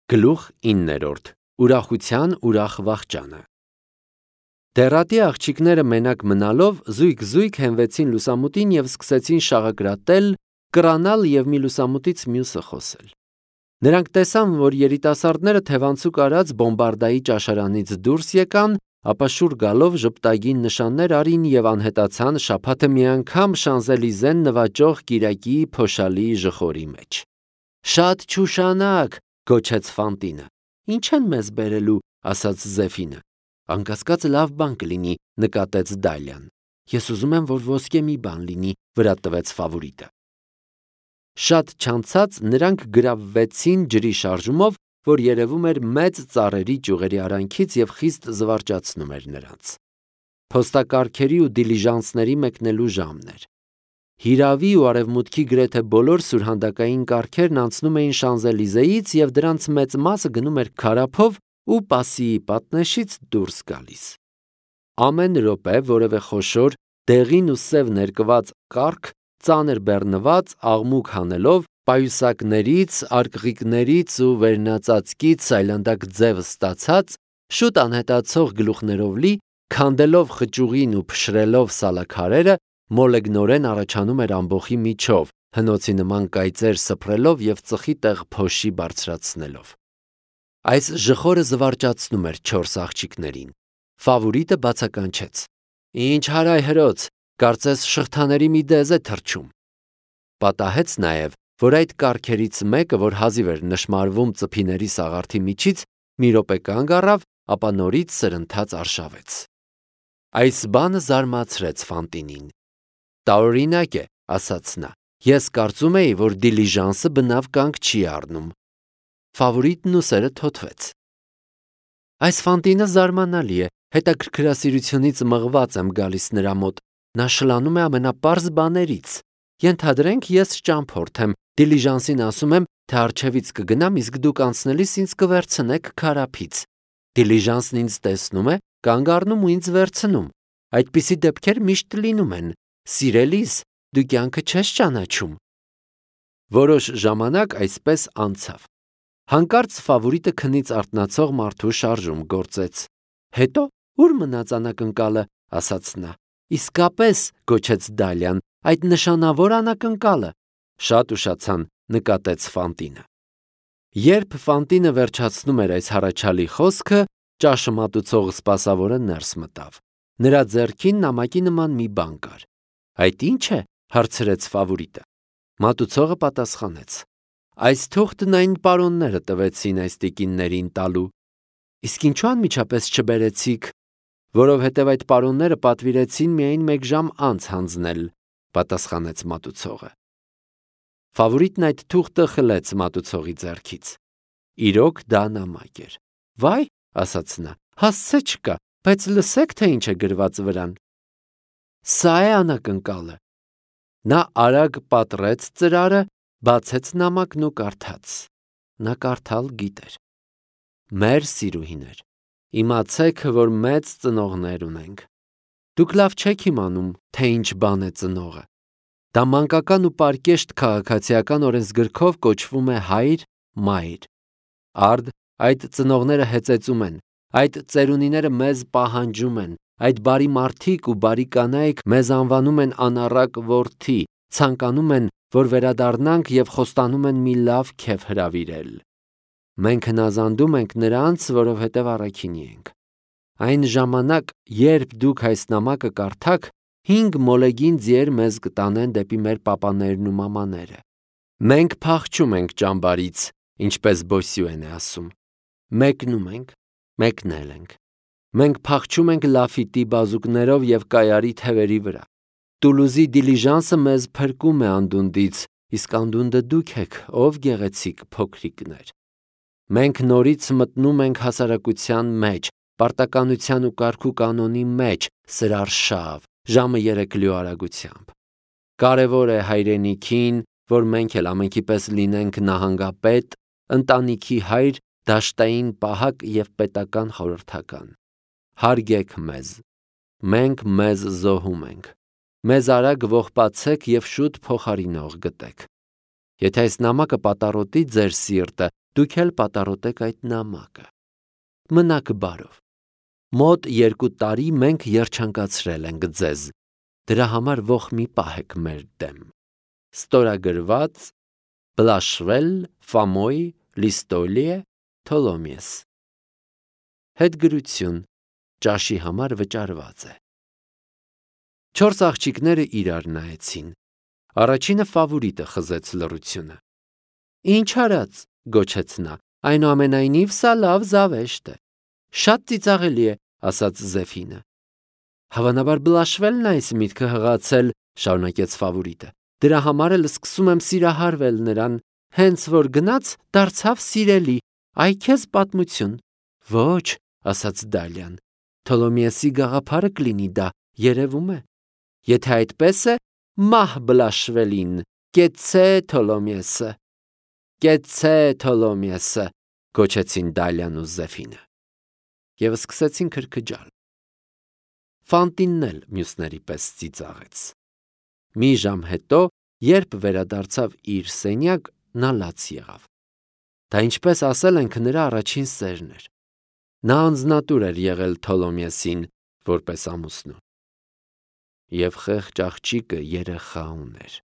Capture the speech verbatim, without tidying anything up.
Գլուխ իններորդ. Ուրախության ուրախ վախճանը։ Դեռատի աղջիկները մենակ մնալով զույգ-զույգ հենվեցին լուսամուտին և սկսեցին շաղակրատել, կռանալ և մի լուսամուտից մյուսը խոսել։ Նրանք տեսան, որ երիտասարդները թևանցուկ արած բոմբարդայի ճաշարանից դուրս եկան, ապա շուռ գալով ժպտագին նշաններ արին և անհետացան շաբաթը մի անգամ Շանզելիզեն նվաճող կիրակի փոշալի ժխորի մեջ։ «Շատ չուշանաք», գոչեց Ֆանտինը։ «Ինչ են մեզ բերելու», ասաց Զեֆինը։ «Անկասկած լավ բան կլինի», նկատեց Դալյան։ «Ես ուզում եմ, որ ոսկե մի բան լինի», վրա տվեց Ֆավորիտը։ Շատ չանցած նրանք գրավվեցին ջրի շարժումով, որ երևում էր մեծ ծառերի ճյուղերի արանքից և խիստ զվարճացնում էր նրանց։ Փոստակառքերի ու դիլիժանսների մեկնելու ժամն էր։ Հիրավի ու արևմուտքի գրեթե բոլոր սուրհանդակային կառքերն անցնում էին Շանզելիզեից և դրանց մեծ մասը գնում էր քարափով ու Պասիի պատնեշից դուրս գալիս։ Ամեն րոպե որևէ խոշոր, դեղին ու սև ներկված կառք, ծանր բեռնված, աղմուկ հանելով, պայուսակներից, արկղիկներից ու վերնածածկից սայլանդակ ձև ստացած, շուտ անհետացող գլուխներով լի, քանդելով խճուղին ու փշրելով սալաքարերը, մոլեգնորեն առաջանում էր ամբոխի միջով, հնոցի նման կայծեր սփռելով և ծխի տեղ փոշի բարձրացնելով։ Այս ժխորը զվարճացնում էր չորս աղջիկներին։ Ֆավորիտը բացականչեց. «Ինչ հարայհրոց, կարծես շղթաների մի դեզ է թռչում»։ Պատահեց նաև, որ այդ կառքերից մեկը, որ հազիվ էր նշմարվում ծփիների սաղարթի միջից, մի րոպե կանգ առավ, ապա նորից սրընթաց արշավեց։ Այս բանը զարմացրեց Ֆանտինին։ «Տարօրինակ է», ասաց նա։ «Ես կարծում էի, որ դիլիժանսը բնավ կանգ չի առնում»։ Ֆավորիտն ուսերը թոթվեց։ «Այս Ֆանտինը զարմանալի է, հետաքրքրասիրությունից մղված եմ գալիս նրա մոտ, նա շլանում է ամենապարզ բաներից։ Ենթադրենք, ես ճամփորդ եմ, դիլիժանսին ասում եմ, թե առջևից կգնամ, իսկ դուք անցնելիս ինձ կվերցնեք քարափից։ Դիլիժանսն ինձ տեսնում է, կանգ առնում ու ինձ վերցնում։ Այդպիսի դեպքեր միշտ լինում են։ Սիրելիս, դու կյանքը չես ճանաչում»։ Որոշ ժամանակ այսպես անցավ։ Հանկարծ Ֆավորիտը քնից արթնացող մարդու շարժում գործեց։ «Հետո ո՞ւր մնաց անակնկալը», ասաց նա։ «Իսկապես», գոչեց Դալյան, «այդ նշանավոր անակնկալը»։ Շատ ուշացան, նկատեց Ֆանտինը։ Երբ Ֆանտինը վերջացնում էր այս հառաչալի խոսքը, ճաշը մատուցող սպասավորը ներս մտավ։ Նրա ձեռքին նամակի նման մի բան կար։ «Այդ ի՞նչ է», հարցրեց Ֆավորիտը։ Մատուցողը պատասխանեց. «Այս թուղթն այն պարոնները տվեցին այս տիկիններին տալու»։ «Իսկ ինչու անմիջապես չբերեցիք»։ «Որովհետև այդ պարոնները պատվիրեցին միայն մեկ ժամ անց հանձնել», պատասխանեց մատուցողը։ Ֆավորիտն այդ թուղթը խլեց մատուցողի ձեռքից։ Իրոք դա նամակ էր։ «Վայ», ասաց նա, «հասցե չկա, բայց լսեք, թե ինչ է գրված վրան»։ «Սա է անակնկալը»։ Նա արագ պատռեց ծրարը, բացեց նամակն ու կարդաց։ Նա կարդալ գիտեր. «Մեր սիրուհիներ, իմացեք, որ մեծ ծնողներ ունենք։ Դուք լավ չեք իմանում, թե ինչ բան է ծնողը։ Դա մանկական ու պարկեշտ քաղաքացիական օրենսգրքով կոչվում է հայր, մայր։ Արդ այդ ծնողները հեծեծում են, այդ ծերունիները մեզ պահանջում են, այդ բարի մարդիկ ու բարի կանայք մեզ անվանում են անառակ որդի, ցանկանում են, որ վերադառնանք և խոստանում են մի լավ քեֆ հրավիրել։ Մենք հնազանդում ենք նրանց, որովհետև առաքինի ենք։ Այն ժամանակ, երբ դուք այս նամակը կարդաք, հինգ մոլեգին ձիեր մեզ կտանեն դեպի մեր պապաներն ու մամաները։ Մենք փախչում ենք ճամբարից, ինչպես Բոսյուեն է ասում։ Մեկնում ենք, մեկնել ենք։ Մենք փախչում ենք Լաֆիտի բազուկներով և Կայարի թևերի վրա։ Տուլուզի դիլիժանսը մեզ փրկում է անդունդից, իսկ անդունդը դուք եք, ով գեղեցիկ փոքրիկներ։ Մենք նորից մտնում ենք հասարակության մեջ, պարտականության ու կարգու կանոնի մեջ, սրարշավ, ժամը երեկլյու արագությամբ։ Կարևոր է հայրենիքին, որ մենք էլ ամենքի պես լինենք նահանգապետ, ընտանիքի հայր, դաշտային պահակ և պետական խորհրդական։ Հարգեք մեզ։ Մենք մեզ զոհում ենք։ Մեզ արագ ողբացեք և շուտ փոխարինող գտեք։ Եթե այս նամակը պատառոտի ձեր սիրտը, Դուք էլ պատառոտեք այդ նամակը։ Մնաք բարով։ Մոտ երկու տարի մենք երջանկացրել ենք ձեզ, դրա համար ողջ մի պահեք մեր դեմ։ Ստորագրված Բլաշվել Ֆամոյ Լիստոլիե Թոլոմիես։ Հետգրություն ճաշի համար վճարված է։ Չորս աղջիկները իրար նայեցին։ Առաջինը ֆավորիտը խզեց լռությունը։ Ինչ արած, գոչեց նա, այնուամենայնիվ սա լավ զավեշտ է։ Շատ ծիծաղելի է, ասաց Զեֆինը։ Հավանաբար Բլաշվելն է այս միտքը հղացել, շարունակեց ֆավորիտը։ Դրա համար էլ սկսում եմ սիրահարվել նրան, հենց որ գնաց դարձավ սիրելի, այ քեզ պատմություն։ Ոչ, ասաց Դալիան, Թոլոմիեսի գաղափարը կլինի դա, երևում է։ Եթե այդպես է, մահ Բլաշվելին, կեցցե Թոլոմիեսը։ Կեցցե Թոլոմիեսը, գոչեցին Դալիան ու Զեֆինը։ Եվ սկսեցին քրքջալ։ Ֆանտինն էլ մյուսների պես ծիծաղեց։ Մի ժամ հետո, երբ վերադարձավ իր սենյակ, նա լաց եղավ։ Դա ինչպես ասել ենք, նրա առաջին սերն էր։ Նա անձնատուր էր եղել Թոլոմիեսին որպես ամուսնու։ Եվ խեղճ աղջիկը երեխա ուներ։